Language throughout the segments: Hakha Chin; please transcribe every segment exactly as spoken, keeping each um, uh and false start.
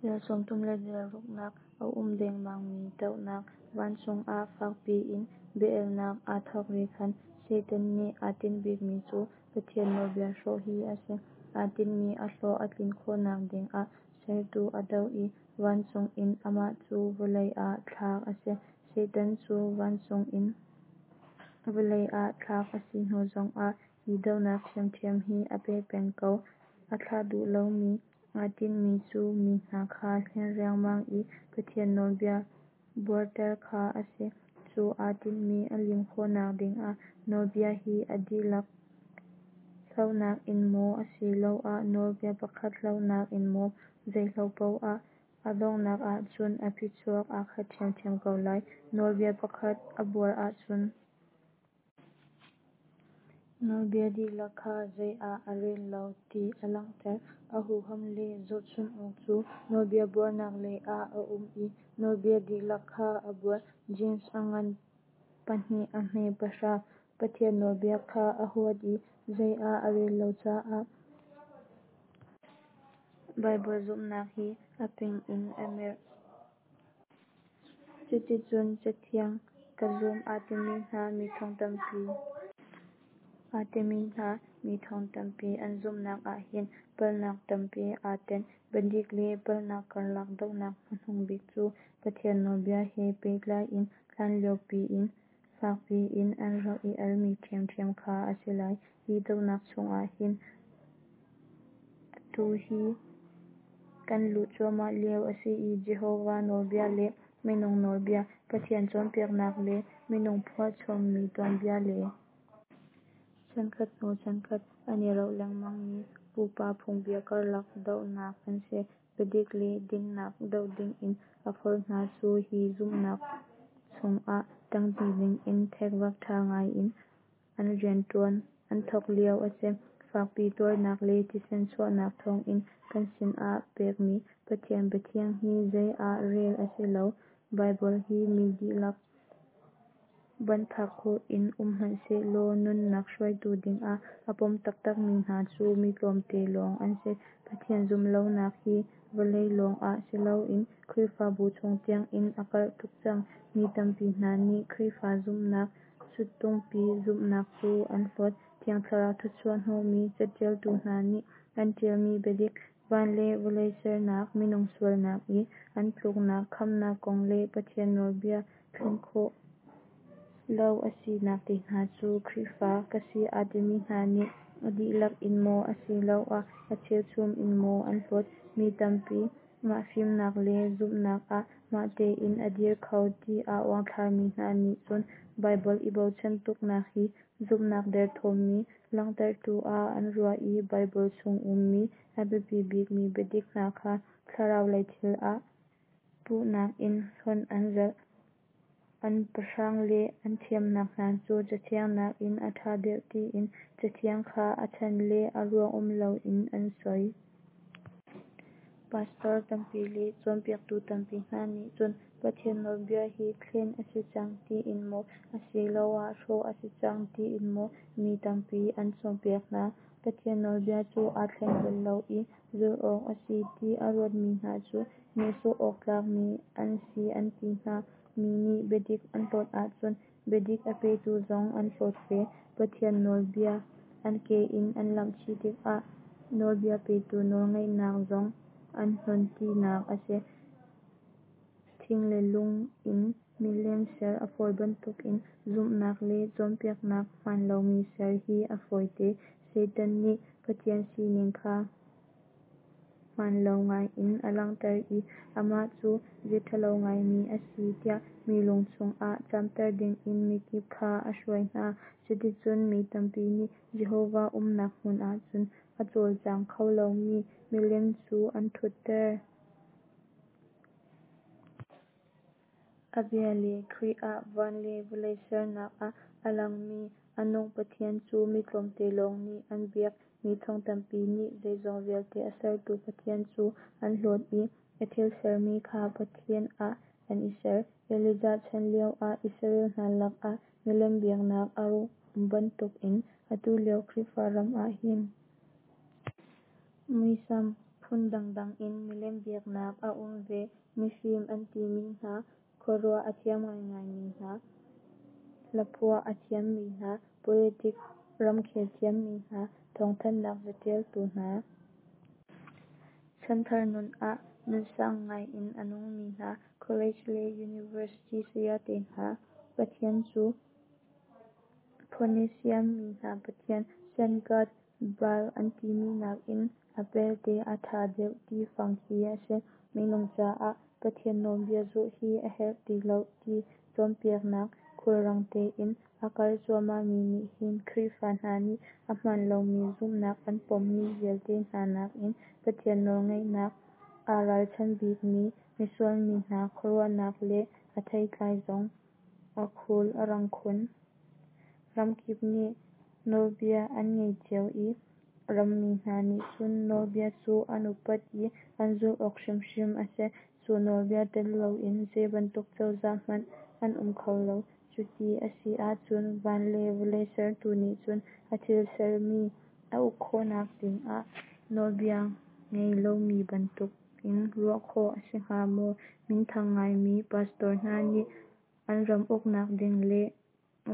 Dal sawmthum le dal ruknak a um dengmang mi dohnak. Vancung ah fakpi in bia-elnak aa thawk ri khan Satan nih aa tinhbikmi cu Pathian nawlbia hrawh hi a si. Aa tinhmi a hlawh a tlin khawhnak dingah Sertu a doh i vancung in amah cu vawlei ah thlak a si. Satan cu vancung in vawlei ah thlak a si hnu zongah hi dohnak ṭhiamṭhiam hi a peh peng ko. A thlah duh lomi, aa tinhmi cu mi hna kha hlen riangmang i Pathian nawlbia buarter kha a si. Cu aa tinhmi a lim khawhnak dingah nawlbia hi a dihlak hlohnak in maw, asiloah nawlbia pakhat hlohnak in maw, zei hloh paoh ah a donghnak ahcun a phichuak aa khat ṭhiamṭhiam ko lai. Nawlbia pakhat a buar ahcun nawlbia dihlak kha zei ah a rel lo ti a langhter. A huham le zohchunh awk cu nawlbia buarnak lei ah a um i nawlbia dihlak kha a buar. Jeim a ngan pahnih a hme pahra. Pathian nawlbia kha a huat i zei ah a rel lo caah Baibal zumhnak hi a ping in a merh. Cuticun Cathiang ka zum aa timi hna mi thong tampi aa timi hna mi thong tampi an zumhnak ah hin palhnak tampi aa tenh. Biadik le palhnak karlak dohnak hmanung bik cu Pathian nawlbia he pehtlai in hlanlio piin fakpi in an rak i almi ṭhiamṭhiam kha a si lai. Hi dohnak chungah hin atu hi kan luh cuahmah lio a si i Jehovah nawlbia le minung nawlbia, Pathian cawnpiaknak le minung phuahchommi tuanbia le chankhat hnu chankhat an i roh lengmangmi pupa phungbia karlak dohnak an si. Biadik le dinnak doh dingin a forh hna cu hi zumhnak chungah ṭangṭi dingin thekvak ṭha ngai in an rianṭuan an thawk lio a si. Fakpi tuarnak le thisen chuahnak thawngin kan sinah pekmi Pathian biathiang hi zei ah rel a si lo. Baibal hi mi dihlak banhphak khawh in um hmanhsehlaw nunnak hruaitu dingah a pom taktakmi hna cu mi tlawmte lawng an si. Pathian zumhlonak hi vawlei lawngah siloin Khrihfabu chung tiangin a karh tuk cang. Mi tampi hna nih Khrihfa zumhnak suttungpi zumhnak cu an hlawt. Thiang Thlarau thawchuah hnawhmi caṭialtu hna nih an ṭialmi biadik, van le vawlei sernak, minung sualnak i an tluknak, khamhnak kong le Pathian nawlbia thlen khawh lo a sinak te hna cu Khrihfa ka si aa timi hna nih a dihlak in maw asiloah a cheuchum in maw an hlawt. Mi tampi mah fimnak le zumhnak ah mah tein a dir kho ti aa uangthlarmi hna nih cun Baibal i bochan tuknak hi zumhnak derthawmmi langhtertu ah an ruah i Baibal chung ummi a biapi bikmi biadik hna kha thlarau lei thil ah puhnak in hlonh an zalh. An pahrang le an thiamnak hna cu Cathiang nakin a ṭha deuh tiin Cathiang kha a chan le a ruang um loin an soi. Pastor tampi le cawnpiaktu tampi hna nih cun Pathian nawlbia hi thlen a si cang tiin maw, asiloah hrawh a si cang tiin maw mi tampi an cawnpiak hna. Pathian nawlbia cu aa thleng bal lo i zulh awk a si ti a ruatmi hna cu nehsawh awk tlakmi an si an ti hna. Mi nih biadik an hlawt ahcun biadik a petu zong an hlawt ve. Pathian nawlbia an ke in an lamh chih tikah nawlbia petu nawlngeihnak zong an hnon tinak a si. Thing le lung in milem ser a fawi bantukin zumhnak le cawnpiaknak hmaan lomi ser hi a fawite. Satan nih Pathian sining kha hmaan lo ngaiin a langhter i amah cu bia ṭhalo ngaimi a si tiah mi lung chungah camter dingin mikip kha a hruai hna. Cuticun mi tampi nih Jehovah umnak hmun ahcun a cawlcang kho lomi milem cu an ṭhutter. A bia le Khrih ah van le vawlei sernak ah a langmi a nung Pathian cu mi tlawmte lawng nih an biak. Mi thong tampi nih zeizong vialte a sertu Pathian cu an hlawt i a thil sermi kha pathian ah an i ser. Elijah chan lioah Israel hna lakah milem biaknak a rak um bantukin atu lio Khrihfa ram ah hin muisam phun Phun dangdang in milem biaknak a um ve. Mifim an timi hna, khuaruah a thiam ngaingaimi hna, hlaphuah a thiammi hna, politik ramkhel thiammi hna, thawngthanhnak catialtu hna, chanthar nun ah nunsang ngai in a nungmi hna, college le university sayate hna pathian cu Phoenician mi hna pathian Sun God Baal an timi nakin a pelte a tha deuh ti fang khi a si. Minung caah Pathian nawlbia zulh hi a herh ti lo ti cawnpiaknak khulrang tein a karh cuahmahmi nih hin Khrihfa hna nih a hmaan lomi zumhnak an pommi vialte hna nakin Pathian nawlngeihnak aa ralchan bikmi misual mi hna khuaruahnak le a theitlai zong a khul a rang khun. Ramkip nih nawlbia an ngei cio i rammi hna nih cu nawlbia cu an upat i an zulh awk hrimhrim a si. Cu nawlbia tel loin zei bantuk cozah hmanh an um kho lo. Cuti a si ahcun van le vawlei sertu nih cun a thil sermi a uk khawhnak dingah nawlbia ngei lomi bantuk in ruah khawh a si hnga maw? Minthang ngaimi pastor hna nih an ram uknak ding le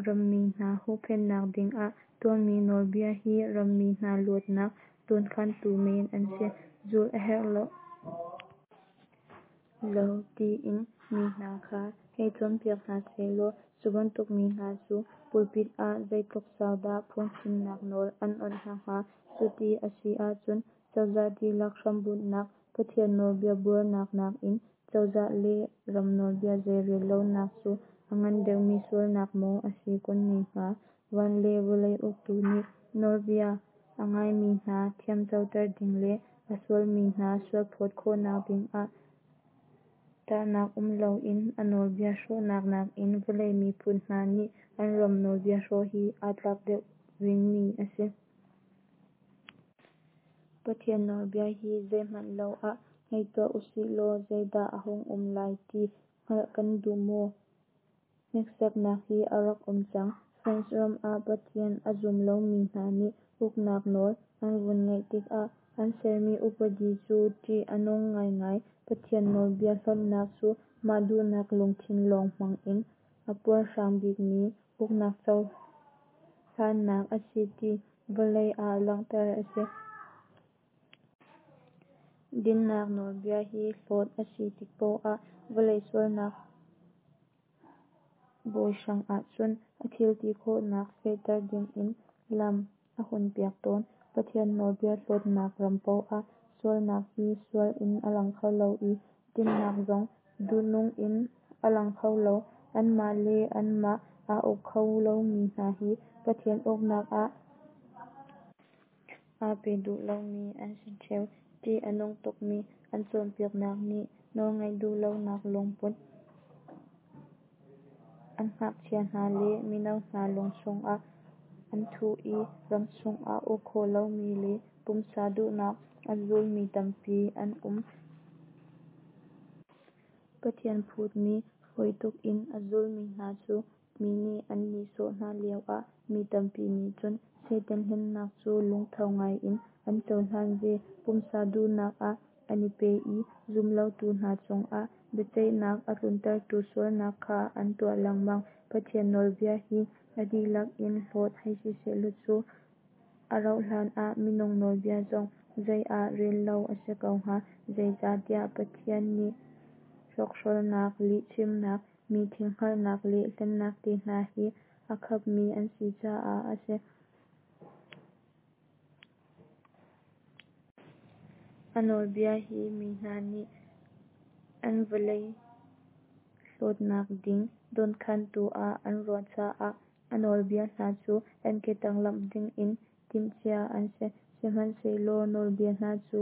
rammi hna huhphenhnak dingah tuahmi nawlbia hi rammi hna luatnak dawnkhantu men an si, zulh a herh lo tiin mi hna kha hei cawnpiak hna sehlaw cu bantuk mi hna cu pulpit ah zeitluk sau dah phungchimnak nawl an awnh hna hnga? Cuti a si ahcun cozah dihlak hrambunhnak Pathian nawlbia buarnak nakin cozah le ram nawlbia zeirel lonak cu a ngan deuhmi sualnak maw a si kun ne hnga? Van le vawlei uktu nih nawlbia a ngaimi hna thiamcoter ding le a sualmi hna sualphawt khawhnak dingah tahnak um loin a nawlbia hrawhnak nakin vawlei miphun hna nih an ram nawlbia hrawh hi aa tlak deuh vingmi a si. Pathian nawlbia hi zeihmanh lo ah hei tuah usih law zeidah a hung um lai ti hngalh kan duh maw? Hneksaknak hi a rak um cang. France ram ah Pathian a zum lomi hna nih uknak nawl an vun ngeih tikah an sermi upadi cu ṭih a nung ngaingai. Pathian nawlbia hlonhnak cu mah duhnak lungthin lawng hmang in a puarhrang bikmi uknak cohlannak a si ti vawlei ah langhter a si. Dinnak nawlbia hi hlawt a si tik paoh ah vawlei sualnak bawi hrang ahcun a thil ti khawhnak fehter dingin lam a hunpiak tawn. Pathian nawlbia hlawtnak ram paoh ah sualnak hi sual in a lang kho lo i, dinnak zong duhnung in a lang kho lo. Anmah le anmah aa uk kho lomi hna hi Pathian uknak ah aa pe duh lomi an si theu. Ṭih a nung tukmi an cawnpiaknak nih nawlngaih duh lonak lungput an ngakchia hna le mino hna lung chungah an thuh i ramchung ah uk khawh lomi le pumsa duhnak a zulmi tampi an um. Pathian phutmi fawi tuk in a zulmi hna cu mi nih an nihsawh hna lioah mi tampi nih cun Satan hlennak cu lungtho ngaiin an cohlan ve. Pumsa duhnak ah an i pe i zumlotu hna cungah biaceihnak a tluntertu sualnak kha an tuah lengmang. Pathian nawlbia hi a dihlak in hlawt hei si sehlaw cu a rauhhlan ah minung nawlbia zong zei ah rel lo a si ko hnga. Zeicahtiah Pathian nih hrokhrolnak, lihchimnak, mi thil hngalhnak le hlennak te hna hi a khapmi an si caah a si. A nawlbia hi mi hna nih an vawlei hlawtnak ding dawnkhantu ah an ruah caah a nawlbia hna cu an ketang lamh dingin timhcia an si. Sihmanhsehlaw nawlbia hna cu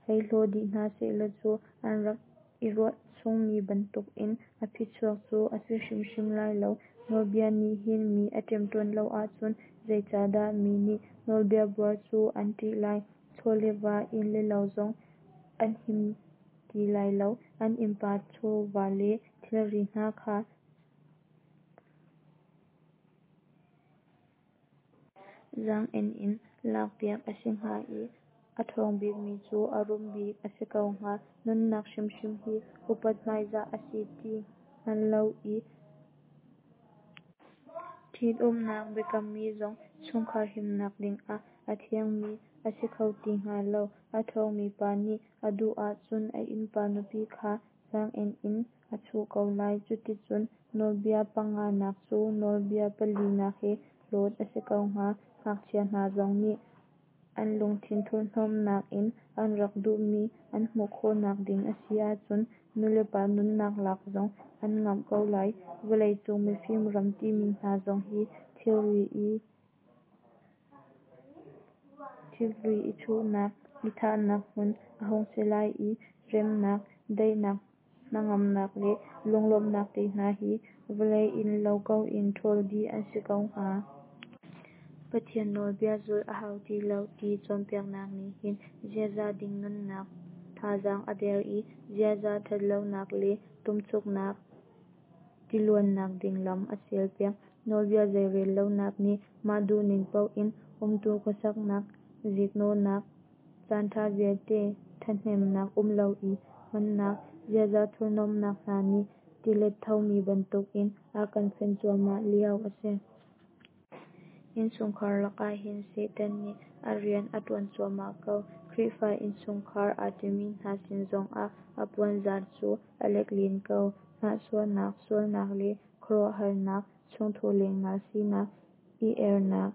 hei hlaw dih hna sehlaw cu an rak i ruah chungmi bantukin a phichuak cu a si hrimhrim lai lo. Nawlbia nih hin mi a ṭemṭawn lo ahcun zeicahdah mi nih nawlbia buar cu an ṭih lai? Chaw le va, inn le lo zong an him ti lai lo. An innpa chawva le thilri hna kha zaang-en in lakpiak a si hnga i A ṭhawng bikmi cu a rum bik a si ko hnga. Nunnak hrimhrim hi upat hmaizah a si ti hngal lo i ṭhitumnak biakammi zong chungkhar himnak dingah a thiangmi a si kho ti hnga lo. A ṭhawngmi pa nih a duh ahcun a innpa nupi kha zaang-en in a chuh ko lai. Cuticun nawlbia panganak cu nawlbia palinak he hlawt a si ko hnga. Ngakchia hna zong nih an lungthin thurhnomhnak in an rak duhmi an hmuh khawhnak ding a si ahcun nulepa nunnak lak zong an ngamh ko lai. Vawlei cung mifim ram timi hna zong hi thilri i chuhnak, i thahnak hmun a hung si lai i, remnak, daihnak, hnangamnak le lunglawmhnak te hna hi vawlei in lo ko in ṭhawl dih an si ko hnga. Pathian nawlbia zulh a hau ti lo ti cawnpiaknak nih hin ziaza ding nunnak thazaang a der i, ziaza ṭhatlonak le ṭumchuknak tiluannak ding lam a sial piak. Nawlbia zeirel lonak nih mah duhning paoh in umtu khuasaknak, ziknawhnak, caanṭha vialte ṭhathnemnak um lo i hmannak, ziaza thurhnomhnak hna nih tilet thomi bantukin a kan fenh cuahmah lio a si. Innchungkhar lakah hin Satan nih a rian a ṭuan cuahmah ko. Khrihfa innchungkhar aa timi hna sin zongah a puanzar cu a lek len ko. Hnahchuahnak, sualnak le khuaruahharnak, chungthu lengnal sinak, i ernak,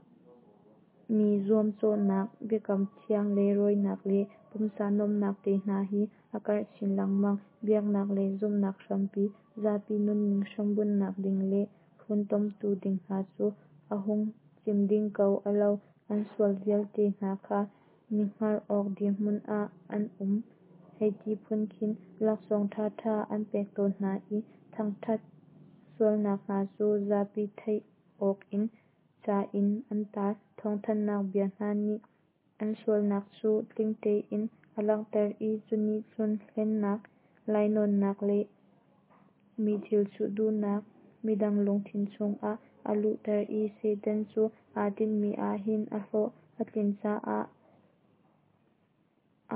mi zuamcawhnak, biakam thiang leirawinak le pumsa nuamhnak te hna hi a karh chin lengmang. Biaknak lei zumhnak hrampi, zapi nunning hrambunhnak ding le funtomtu ding hna cu a hung cim ding ko a lo. An sual vialte hna kha mi hngar awk dirhmun ah an um hei ti phun khin laksawng ṭhaṭha an pek tawn hna i, thangṭhat sualnak hna cu zapi theih awk in ca in an tar. Thawngthanhnak bia hna nih an sualnak cu tling tein a langhter i, cunih cun hlennak, lainawnnak le mi thil chuh duhnak midang lungthin chungah a luhter i, Satan cu aa tinhmi ah hin a hlawh a tlin caah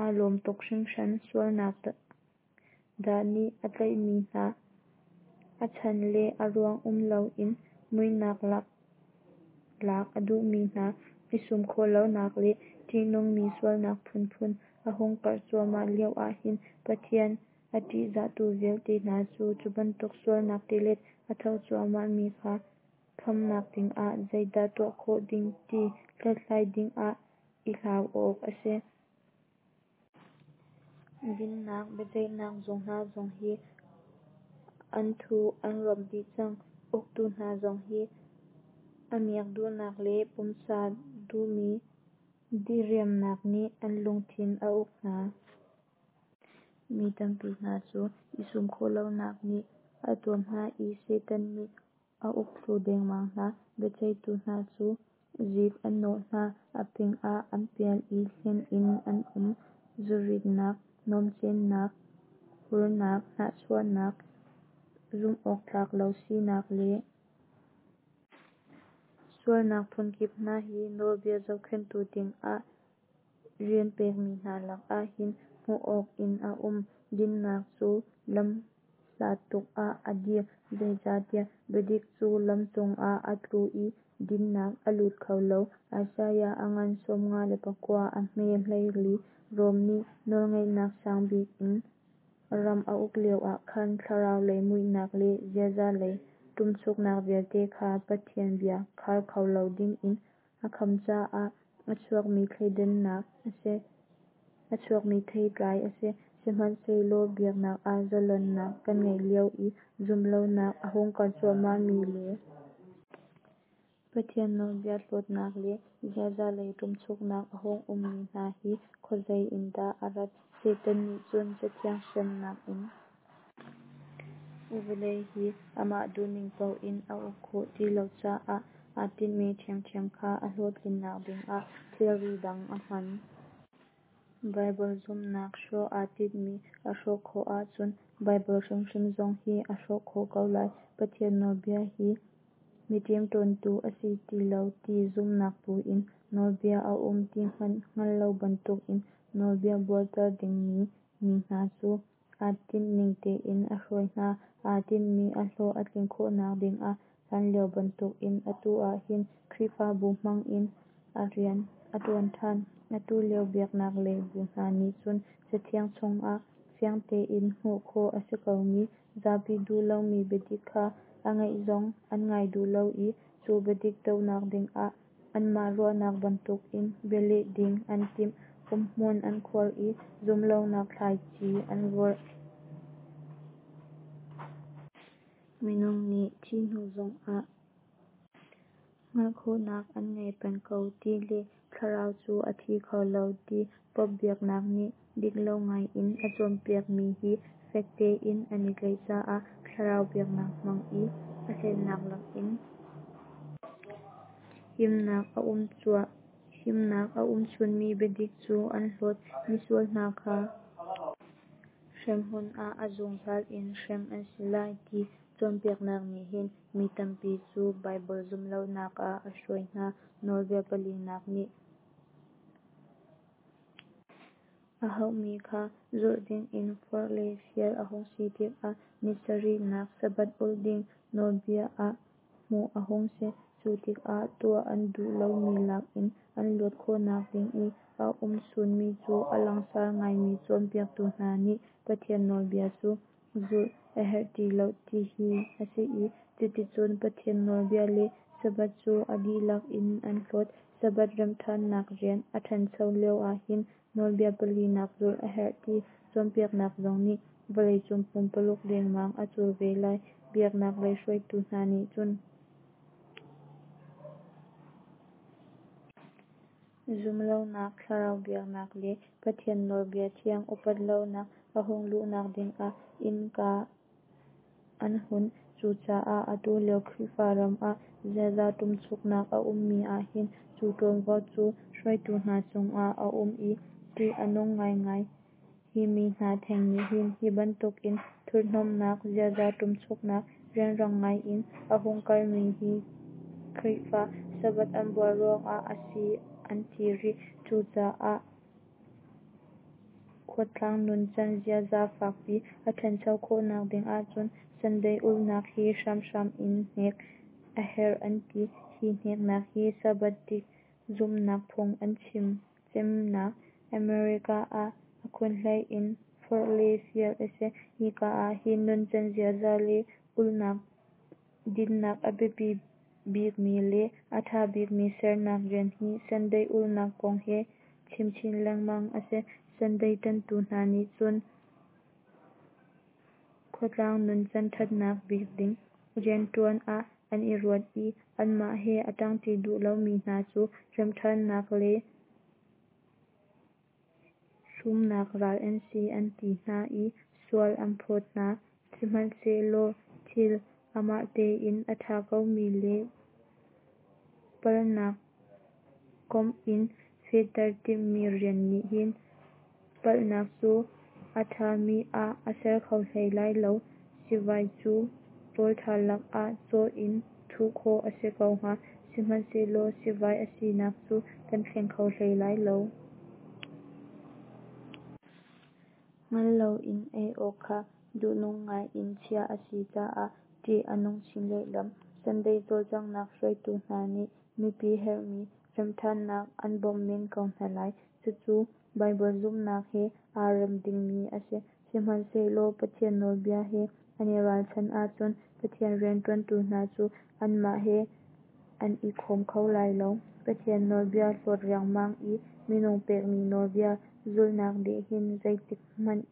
aa lawm tuk hringhran. Sualnak dah nih a tlaihmi hna, a chan le a ruang um loin muihnak lak lak a duhmi hna, i sum khawh lonak le ṭihnungmi sualnak phunphun a hung karh cuahmah lio ahhin Pathian a ṭihzahtu vialte hna cu, cu bantuk sualnak tilet a tho cuahmahmi kha khamnak dingah zeidah tuah khawh ding ti hlathlai dingah i hlau awk a si. Dinnak biaceihnak zung hna zong hi an thu an rop dih cang. Uktu hna zong hi a miak duhnak le pumsa duhmi diriamnak nih an lungthin a uk hna. Mi tampi hna cu i sum khawh lonak nih a tuam hna i, Satan nih a uk thlu dengmang hna. Biaceihtu hna cu zik an nawh hna, a ping ah an pial i hlen in an um. Zuritnak, nuamhcennak, hurnak, hnahchuahnak, zumhawktlak lo sinak le sualnak phunkip hna hi nawlbia zohkhenhtu dingah rian pekmi hna lakah hin hmuh awk in a um. Dinnak cu lam hlat tuk ah a dir, zeicahtiah biadik cu lam cungah a tlu i dinnak a lut kho lo. Isaiah a ngan sawmnga le pakua, a hme hleili. Rom nih nawlngeihnak sang bik in ram a uk lioah khan thlarau lei muihnak le ziaza lei ṭumchuknak vialte kha Pathian bia khar kho lo dingin a kham caah a chuakmi thleidannak a si. A chuakmi theitlai a si. Sihmanhsehlaw biaknak ah zalonnak kan ngeih lio i zumhlonak a hung karh cuahmahmi le Pathian nawlbia hlawtnak le ziaza lei ṭumchuknak a hung ummi hna hi khuazei in dah a rat? Satan nih cun Cathiang hriamnam in vawlei hi amah duhning paoh in a uk khawh ti lo caah aa tinhmi ṭhiamṭhiam kha a hlawhtlinnak dingah thilri dang a hman. Baibal zumhnak hrawh aa tinhmi a hrawh khawh ahcun Baibal hrimhrim zong hi a hrawh khawh ko lai. Pathian nawlbia hi mi ṭemṭawntu a si ti lo ti zumhnak pu in nawlbia a um ti hmanh hngal lo bantukin nawlbia buarter dingmi mi hna cu aa tinhning tein a hruai hna. Aa tinhmi a hlawh a tlin khawhnak dingah hlanlio bantukin atu ah hin Khrihfabu hmang in a rian a ṭuan ṭhan. Atu lio biaknak lei bu hna nih cun Cathiang chungah fiang tein hmuh khawh a si komi, zapi duh lomi biadik kha a ngaih zong an ngai duh lo i, cu biadik dohnak dingah anmah ruahnak bantukin bialeh ding an timh, umhmun an khuar i zumhlonak thlaici an vorh. Minung nih thih hnu zongah hngalh khawhnak an ngei peng ko ti le thlarau cu a thi kho lo ti Pope biaknak nih dik lo ngai in a cawnpiakmi hi fek tein an i tlaih caah thlarau biaknak hmang i a hlennak lakin himnak a um chunmi biadik cu an hlawt. Misual hna kha hremhmun ah a zungzal in hrem an si lai ti cawnpiaknak nih hin mi tampi cu Baibal zumhlonak ah a hruai hna. Nawlbia palinak nih a hauhmi kha zulh dingin forh le fial a hung si tikah ni sarihnak Sabbath ulh ding nawlbia ah hmuh a hung si. Cu tikah tuah an duh lomi lak in an luat khawhnak ding i a um chunmi cu a langsar ngaimi cawnpiaktu hna nih Pathian nawlbia cu zulh a herh ti lo ti hi a si i, cuticun Pathian nawlbia le Sabbath cu a dihlak in an hlawt. Sabbath remhṭhannak rian a ṭhancho lio ahhin nawlbia palinak zulh a herh ti cawnpiaknak zong nih vawleicung pumpaluk lengmang a cul ve lai. Biaknak lei hruaitu hna nih cun zumhlonak, thlarau biaknak le Pathian nawlbia thiang upat lonak a hung luhnak dingah innka an hun. Cucaah atu lio Khrihfa ram ah ziaza ṭumchuknak a ummi ahhin cu ṭuanvo cu hruaitu hna cungah a um i ṭih a nung ngaingai. Hi mi hna theng nih hin hi bantukin thurhhnawmhnak, ziaza ṭumchuknak rianrang ngai in a hung karhmi hi Khrihfa Sabbath an buar ruangah a si an ti rih. Cucaah khuatlang nuncan ziaza fakpi a ṭhancho khawhnak ding ahcun Sunday ulhnak hi hramhram in hnek a herh an ti. Hi hneknak hi Sabbath dik zumhnak phung an chim cemnak America ah a khunhlei in forh le fial a si. Hika ahhin nuncan ziaza le ulhnak dinnak a biapi bikmi le a ṭha bikmi sernak rian hi Sunday ulhnak kong he chim chin lengmang a si. Sunday ṭanhtu hna nih cun khuatlang nuncan ṭhatnak bik ding rianṭuan ah an i ruat i anmah he a ṭangṭi duh lomi hna cu remhṭhannak le rumnak ral an si an ti hna i sual an phawt hna. Sihmanhsehlaw thil amah tein a ṭha komi le palhnak komh in fehter timhmi rian nih hin palhnak cu a ṭhami ah a ser kho hlei lai lo. Sivai cu rawl ṭha lakah cawh in thuh khawh a si ko hnga, sihmanhsehlaw sivai a sinak cu kan thleng kho hlei lai lo. Hngal loin ei awk kha duhnung ngai in chiah a si caah ṭih a nung chin lehlam. Sunday cawlcanghnak hruaitu hna nih mipi herhmi remhṭhannak an bawmh men ko hna lai. Cucu Baibal zumhnak he aa rem dingmi a si. Sihmanhsehlaw Pathian nawlbia he an i ralchanh ahcun Pathian rianṭuantu hna cu anmah he an i khawm kho lai lo. Pathian nawlbia hlawt riangmang i minung pekmi nawlbia zulhnak nih hin zeitik hmanh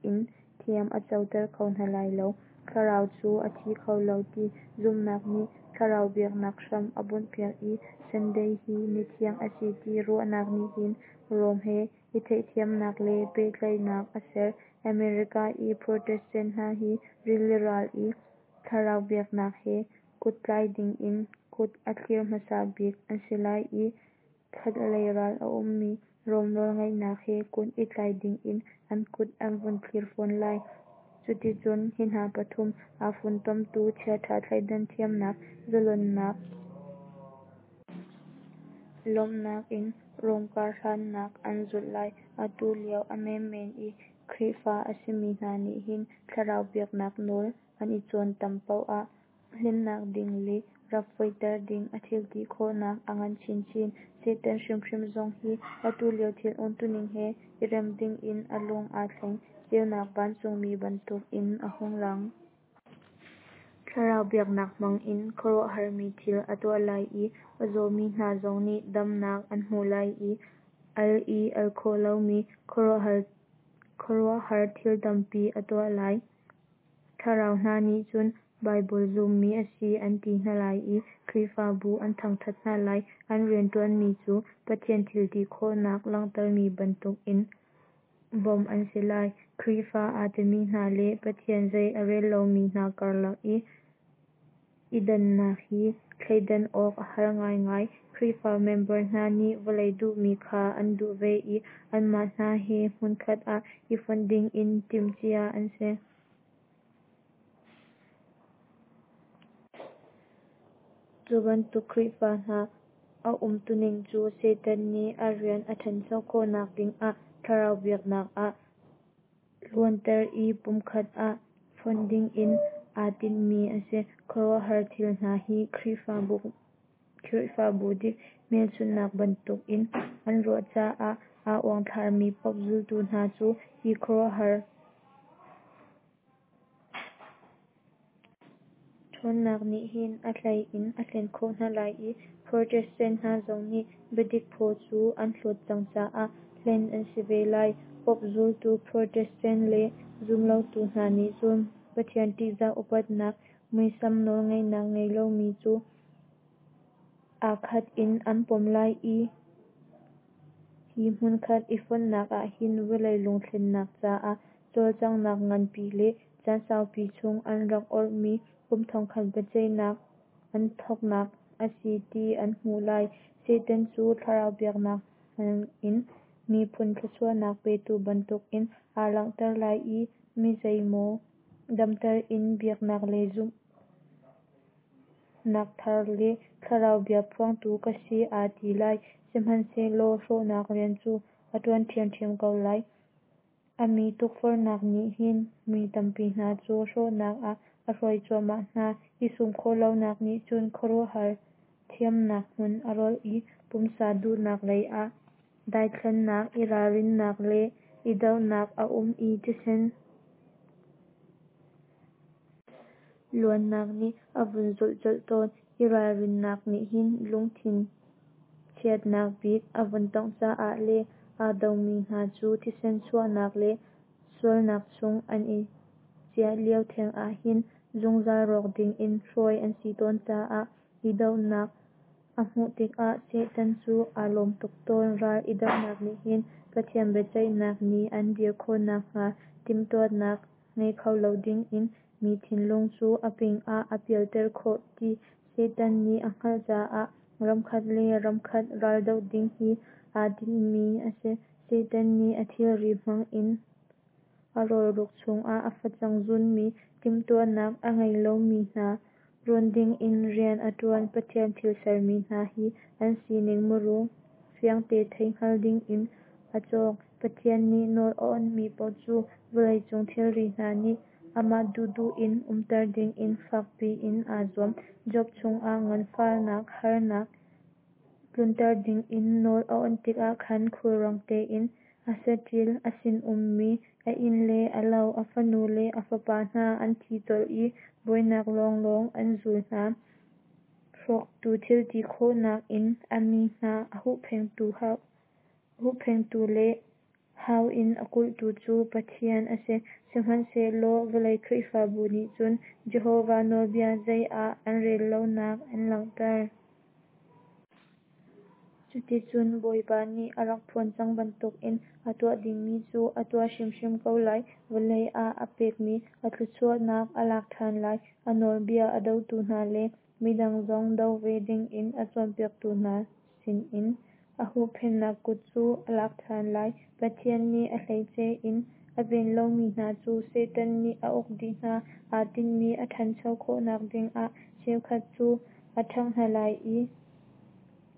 in thiam a coter kho hna lai lo. Thlarau cu a thi kho lo ti zumhnak nih thlarau biaknak hram a bunhpiak i Sunday hi ni thiang a si ti ruahnak nih hin Rome he i theihthiamnak le pehtlaihnak a ser. America i Protestant hna hi rili ral i thlarau biaknak he kuttlai dingin kut a thlir hmasa bik an si lai i, khatlei ral a ummi Rome nawlngeihnak he kut i tlai dingin an kut an vun thlir fawn lai. Cuticun hi hna pathum aa funtomtu chiaṭha thleidan thiamnak, zalonnak, Lawmhnak in Rom karhlannak an zulh lai. Atu lio a menmen i Khrihfa a simi hna nih hin thlarau biaknak nawl an i cawn tam paoh ah hlennak ding le rap foihter ding a thilti khawhnak a ngan chinchin. Satan hrimhrim zong hi atu lio thil umtuning he i rem dingin a lung aa thleng, ceunak vancungmi bantukin a hung lang. Thlarau biaknak hmangin khuaruahharmi thil a tuah lai i a zawmi hna zong nih damnak an hmuh lai i al i al khawh lomi khuaruahhar thil tampi a tuah lai. Thlarau hna nih cun Baibal zummi a si an ti hna lai i Khrihfabu an thangthat hna lai. An rianṭuanmi cu Pathian thilti khawhnak langhtermi bantukin bawmh an si lai. Khrihfa aa timi hna le Pathian zei a rel lomi hna karlak i i dannak hi thleidan awk a har ngaingai. Khrihfa member hna nih vawlei duhmi kha an duh ve i anmah hna he hmunkhat ah i fonh dingin timhcia an si. Cu bantuk Khrihfa hna a umtuning cu Satan nih a rian a ṭhancho khawhnak dingah thlarau biaknak ah luanter i pumkhat ah fonh dingin aa tinhmi a si. Khuaruahhar thil hna hi Khrihfabu dik hmelchunhnak bantukin an ruah caah aa uangthlarmi Pope zultu hna cu hi khuaruahhar ṭhawnnak nih hin a hlei in a hlen khawh hna lai i Protestant hna zong nih biadik phaw cu an hlawt cang caah hlen an si ve lai. Pope zultu Protestant le zumlotu hna nih cun Pathian ṭihzah upatnak muisam nawlngeihnak ngei lomi cu aa khat in an pom lai i hi hmunkhat i fonhnak ah hin vawlei lungthlennak caah cawlcanghnak nganpi le caan saupi chung an rak orhmi kum thongkhat biaceihnak an thawknak a si ti an hmuh lai. Satan cu thlarau biaknak hmangin miphun thluachuahnak petu bantukin aa langhter lai i mi zeimaw damter in biaknak lei zumhnak thar le thlarau bia phuangtu ka si aa ti lai, sihmanhsehlaw hrawhnak rian cu a ṭuan ṭhiamṭhiam ko lai. A mi tukforhnak nih hin mi tampi hna cu hrawhnak ah a hruai cuahmah hna. I sum khawh lonak nih cun khuaruahhar thiamnak hmun a rolh i pumsa duhnak leiah daithlannak, i ralrinnak le i dohnak a um i thisen luannak nih a vun zulh colh tawn. I ralrinnak nih hin lungthin chiatnak bik a vun tongh caah le aa domi hna cu thisen chuahnak le sualnak chung an i ciah lio theng ah hin zungzal rawk dingin hruai an si tawn caah i dohnak a hmuh tikah Satan cu aa lawm tuk tawn. Ral i dohnak nih hin Pathian biaceihnak ni an dir khawh nakhnga timhtuahnak ngei kho lo dingin mi thinlung cu a ping ah a pialter khawh ti Satan nih a hngalh caah ramkhat le ramkhat raldoh ding hi aa tinhmi a si. Satan nih a thilri hmangin a rawlruk chungah a facang zunmi timhtuahnak a ngei lomi hna rawn dingin rian a ṭuan. Pathian thil sermi hna hi an sining muru fiangte thei hngal dingin a cawng. Pathian nih nawl a awnhmi paoh cu vawleicung thilri hna nih amah duhduh in umter dingin fakpi in aa zuam. Job cungah nganfahnak harnak tlunter dingin nawl a awnh tikah khan khulrang tein a saṭil, a sinummi, a inn le a lo, a fanu le a fapa hna an thi colh i buainak lawnglawng an zul hna. Hrawktu thilti khawhnak in a mi hna a huhphenhtu le hau in a kulhtu cu Pathian a si. Sihmanhsehlaw vawlei Khrihfabu nih cun Jehovah nawlbia zei ah an rel lonak an langhter. Cuticun Bawipa nih a rak phuan cang bantukin a tuah dingmi cu a tuah hrimhrim ko lai. Vawlei ah a pekmi a thluachuahnak a lak ṭhan lai. A nawlbia a dotu hna le midang zong do ve dingin a cawnpiaktu hna sinin a huhphenhnak kut cu a lak ṭhan lai. Pathian nih a hleice in a ven lomi hna cu Satan nih a uk dih hna. Aa tinhmi a ṭhancho khawhnak dingah cheukhat cu a ṭhangh hna lai i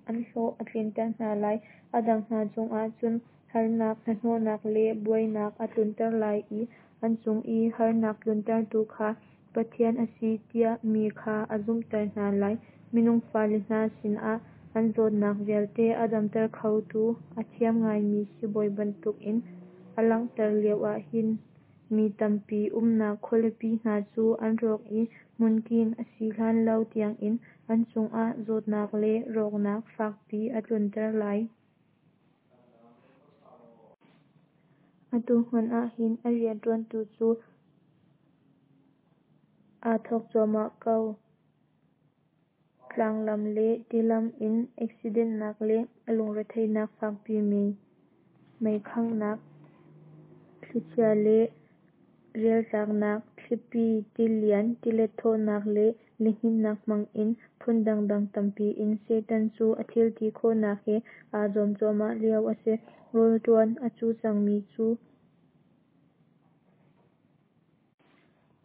an hlawh a tlinter hna lai. A dang hna cungah cun harnak, hnahnawhnak le buainak a tlunter lai i an cung i harnak tluntertu kha Pathian a si tiah mi kha a zumhter hna lai. Minung fale hna sinah an zawtnak vialte a damter khotu a thiam ngaimi sibawi bantukin aa langhter lioah hin mi tampi umnak khualipi hna cu an rawk i hmunking a si hlan lo tiangin an cungah zawtnak le rawknak fakpi a tlunter lai. Atu hmanh ah hin a rianṭuan cu aa thawk cuahmah ko. Tlanglam le tilam in eksidentnak le lungretheihnak fakpi, mei khanghnak, thlichia le rialtlaknak, thlipi, tilian, tilet thawhnak le lihninhnak hmangin phun dangdang tampi in Satan cu a thil ti khawhnak he aa zuam cuahmah lio a si. Rawl ṭuan a cu cangmi cu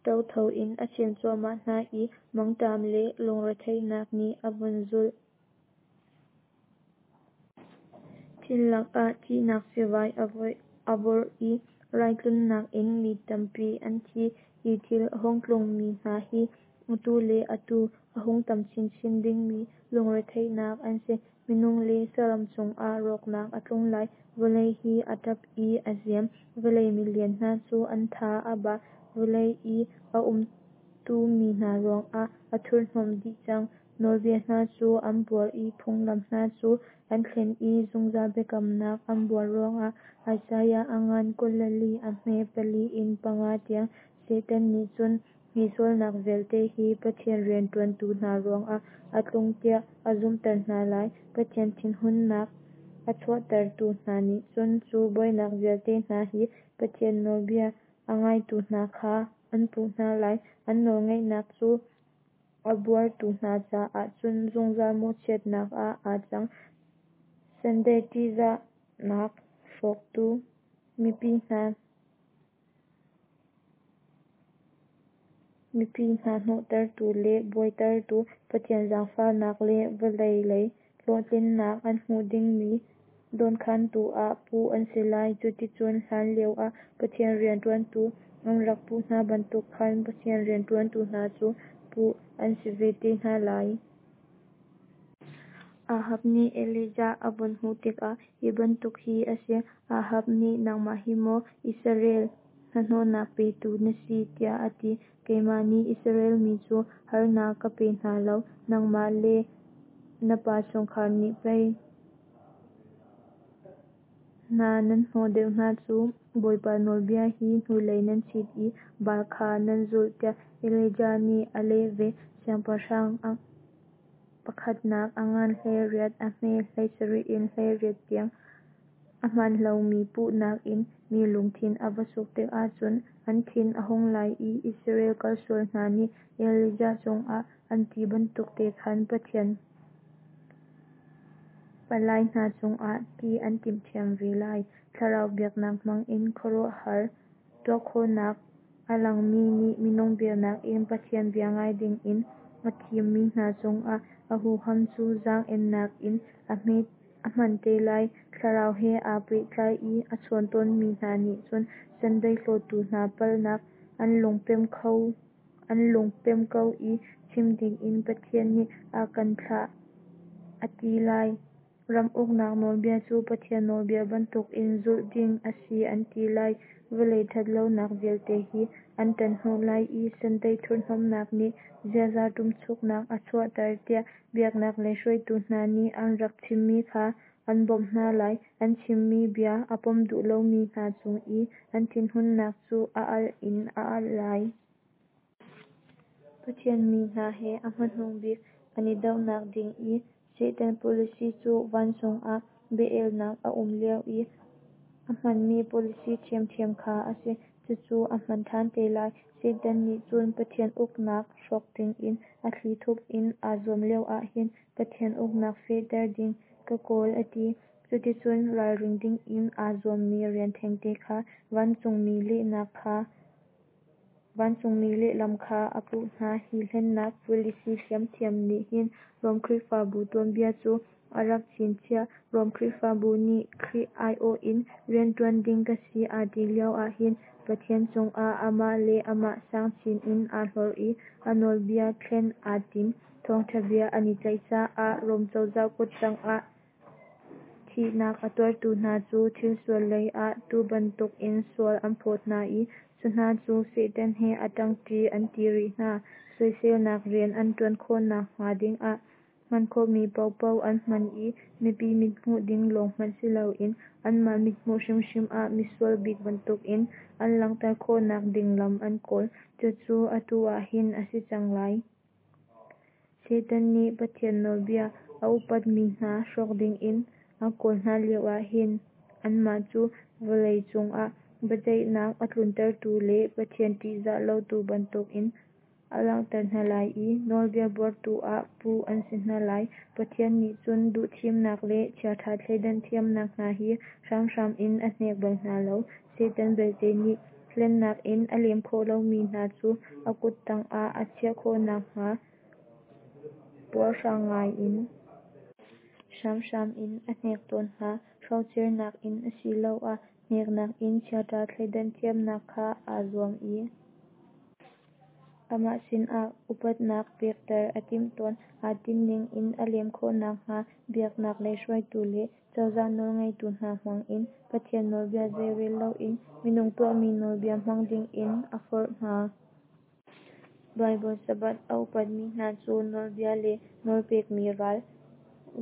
ṭotho in a chem cuahmah hna i mangṭam le lungretheihnak nih a vun zulh. Thil lakah thihnak sivai a vorh i rai tlunnak in mi tampi an thi. Hi thil a hung tlungmi hna hi atu le atu a hung tam chinchin dingmi lungretheihnak an si. Minung le saram cungah rawknak a tlung lai. Vawlei hi a ṭap i a ziam, vawlei milian hna cu an tha a ba, vawlei i a umtumi hna ruangah a thurhnawm dih cang. Nawlbia hna cu an buar i phunglam hna cu an thlen i zungzal biakamnak an buar ruangah. Isaiah a ngan kul le li a hme pali in panga tiang. Satan nih cun hi sualnak vialte hi Pathian rianṭuantu hna ruangah a tlung tiah a zumhter hna lai. Pathian thinhunnak a chuahtertu hna nih cun cu buainak vialte hna hi Pathian nawlbia a ngaitu hna kha an puh hna lai. An nawlngeihnak cu a buartu hna caah cun zungzal mawhchiatnak ah aa cang. Sunday ṭihzahnak hrawktu, mipi hna mipi hna hnawhtertu le buaitertu, Pathian zaangfahnak le vawlei lei hlawhtlinnak an hmuh dingmi dawnkhantu ah puh an si lai. Cuticun hlan lioah Pathian rianṭuantu an rak puh hna bantuk khan Pathian rianṭuantu hna cu puh an si ve te hna lai. Ahab nih Elijah a vun hmuh tikah hi bantuk hi a si. Ahab nih, Nangmah hi maw Israel hnahnawhnak petu na si? tiah a ti. Keimah nih Israel mi cu harnak ka pe hna lo, nangmah le na pa chungkhar nih pei hna nan hnawh deuh hna cu, Bawipa nawlbia hi hnulei nan chit i Baal kha nan zulh, tiah Elijah nih a leh ve. Siangpahrang pakhatnak a ngan hleiriat a hme hleisarih in hleiriat tiang. A hmaan lomi puhnak in mi lungthin a va suk tikah cun an thin a hung lai i Israel kalsual hna nih Elijah cungah an ti bantuk te khan Pathian palai hna cungah ti an timh ṭhiam ve lai. Thlarau biaknak hmangin khuaruahhar tuahkhawhnak a langmi nih minung biaknak in Pathian bia ngai dingin a thimmi hna cungah a huham cu zaang-ennak in a hman te lai. Thlarau he aa pehtlai i a chawn tawnmi hna nih cun Sunday hlawtu hna palhnak an lungpem ko i chim dingin Pathian nih a kan thlah a ti lai. Ram uknak nawlbia cu Pathian nawlbia bantukin zulh ding a si an ti lai. Vawlei ṭhatlonak vialte hi an ṭanhnawh lai i Sunday thurhnomhnak nih ziaza ṭumchuknak a chuahter tiah biaknak lei hruaitu hna nih an rak chimmi kha an bawmh hna lai. An chimmi bia a pom duh lomi hna cung i an thinhunnak cu a alh in a alh lai. Pathian mi hna he a hmanung bik an i dohnak ding i Satan policy cu vancung ah bia-elnak a um lio i a hmanmi policy ṭhiamṭhiam kha a si. Cucu a hman ṭhan te lai. Satan nih cun Pathian uknak hrawk dingin a thlithup in aa zuam lioah hin Pathian uknak fehter ding ka kawl a ti. Cuticun ralring dingin aa zuammi rian thengte kha vancungmi lehlam kha a puh hna. Hi hlennak policy ṭhiamṭhiam nih hin Rom Khrihfabu tuanbia cu a rak chinchiah. Rom Khrihfabu nih Khrih aiawh in rianṭuan ding ka si aa ti lio ahhin Pathian cungah amah le amah sang chin in aa hlorh i a nawlbia thlen aa tim. Thawngṭha bia an i tlaih caah Rom cozah kut tangah thihnak a tuartu hna cu thilsual lei ah tuu bantukin sual an phawt hna i cu hna cu Satan he a ṭangṭi an ti rih hna. Soiselnak rian an ṭuan khawhnak hnga dingah hman khawhmi paohpaoh an hman i mipi mithmuh ding lawng hmanh siloin anmah mithmuh hrimhrim ah misual bik bantukin an langhter khawhnak ding lam an kawl. Cucu atu ahhin a si cang lai. Satan nih Pathian nawlbia a upatmi hna hrawk dingin a kawl hna lio ahhin anmah cu vawlei cungah biaceihnak a tluntertu le Pathian ṭihzah lotu bantukin a langhter hna lai i nawlbia buartu ah puh an si hna lai. Pathian nih cun duhthimnak le chiaṭha thleidan thiamnak hna hi hramhram in a hnek bal hna lo. Satan belte nih hlennak in a lem khawh lomi hna cu a kut tangah a chiah khawhnak hnga puarhrang ngai in hramhram in a hnek tawn hna. Hrocernak in asiloah hneknak in chiaṭha thleidan thiamnak kha aa zuam i amah sinah upatnak pekter a timh tawn. Aa tinhning in a lem khawhnak hnga biaknak lei hruaitu le cozah nawlngeitu hna hmangin Pathian nawlbia zeirel loin minung tuahmi nawlbia hmang dingin a forh hna. Baibal Sabbath a upatmi hna cu nawlbia le nawlpekmi ral,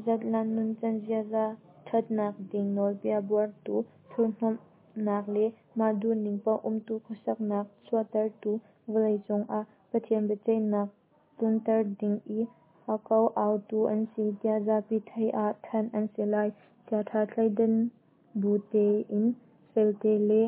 zatlang nuncan ziaza ṭhatnak ding nawlbia buartu, thurhnawmhnak le mah duhning paoh umtu khuasaknak chuahtertu, vawlei cungah Pathian biaceihnak tlunter ding i a ko autu an si tiah zapi theih ah thanh an si lai. Chiaṭha thleidan bu tein felte le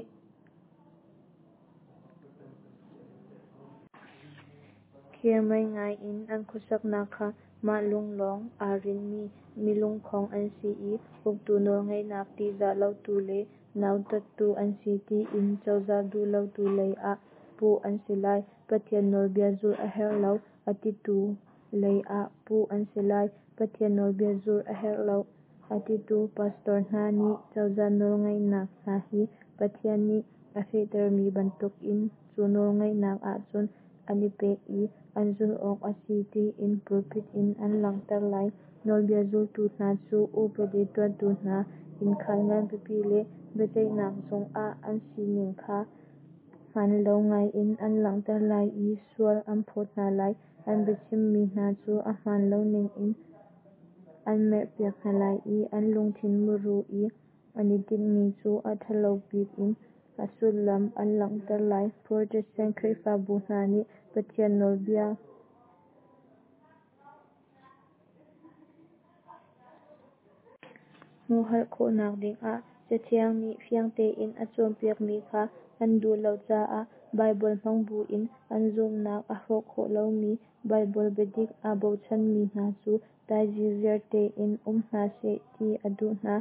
khermei ngai in an khuasaknak kha mah lung lawng aa rinhmi milungkhong an si i uktu nawlngeihnak ṭihzah lotu le nautattu an si tiin cozah duh lotu lei ah puh an si lai. Pathian nawlbia zulh a herh lo a titu lei ah puh an si lai. Pathian nawlbia zulh a herh lo a titu pastor hna nih cozah nawlngeihnak hna hi Pathian nih a fehtermi bantukin cu nawlngeihnak ahcun an i pek i an zulh awk a si tiin pulpit in an langhter lai. Nawlbia zultu hna cu upadi tuahtu hna, innkhan nganpipi le biaceihnak zung ah an sining kha hmanlo ngaiin an langhter lai i sual an phawt hna lai. An biachimmi hna cu a hmaan loning in an merhpiak hna lai i an lungthin muru i an i tinhmi cu a ṭhalo bik in a sullam an langhter lai. Protestant Khrihfabu hna nih Pathian nawlbia humhalh khawhnak dingah Cathiang nih fiang tein a cawnpiakmi kha an duh lo caah Baibal hmang buin an zumhnak a hrawh khawh lomi Baibal biadik aa bochanmi hna cu dai ziarziar tein um hna seh ti a duh hna.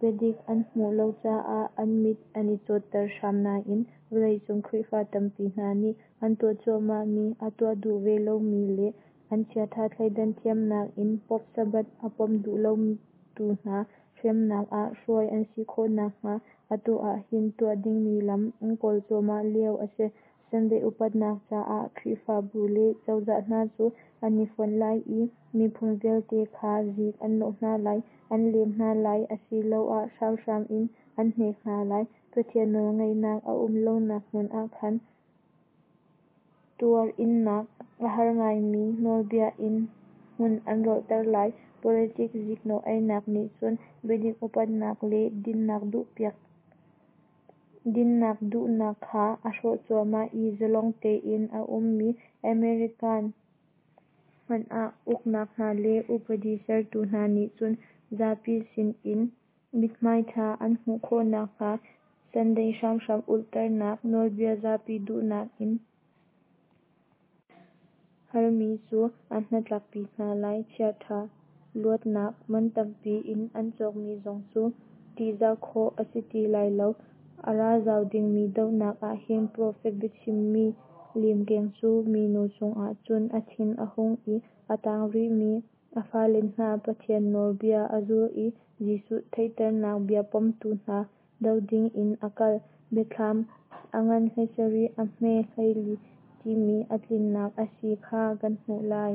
Biadik an hmuh lo caah an mit an i cawtter hram nain vawleicung Khrihfa tampi hna nih an tuah cuahmahmi a tuah duh ve lomi le an chiaṭha thleidan thiamnak in Pope Sabbath a pom duh lotu hna hremnak ah hruai an si khawhnak hnga atu ahhin tuah dingmi lam an kawl cuahmah lio a si. Sunday upatnak caah Khrihfabu le cozah hna cu an i fonh lai i miphun vialte kha zik an nawh hna lai, an lem hna lai asiloah hramhram in an hnek hna lai. Pathian nawlngeihnak a um lonak hmun ah khan tuar innak a har ngaimi nawlbia in hmun an rolhter lai. Politik ziknawh einak nih cun biadik upatnak le dinnak duhnak kha a hrawh cuahmah i zalong tein a ummi American hmanh ah uknak hna le upadi sertu hna nih cun zapi sinin mithmai ṭha an hmuh khawhnak hnga Sunday hramhram ulhternak nawlbia zapi duhnak in halmi cu an hnatlakpi hna lai. Chiaṭha luatnak man tampi in an cawkmi zong cu ṭihzah khawh a si ti lai lo. A ra zau dingmi dohnak ahhin profet biachimmi limkeng cu minu cungah cun a thin a hung i a tang rihmi A fale hna Pathian nawlbia a zul i Jesuh theihternak bia pomtu hna do ding in a kal. Biathlam a ngan hleisarih a hme hleili timi a tlinnak a si kha kan hmuh lai.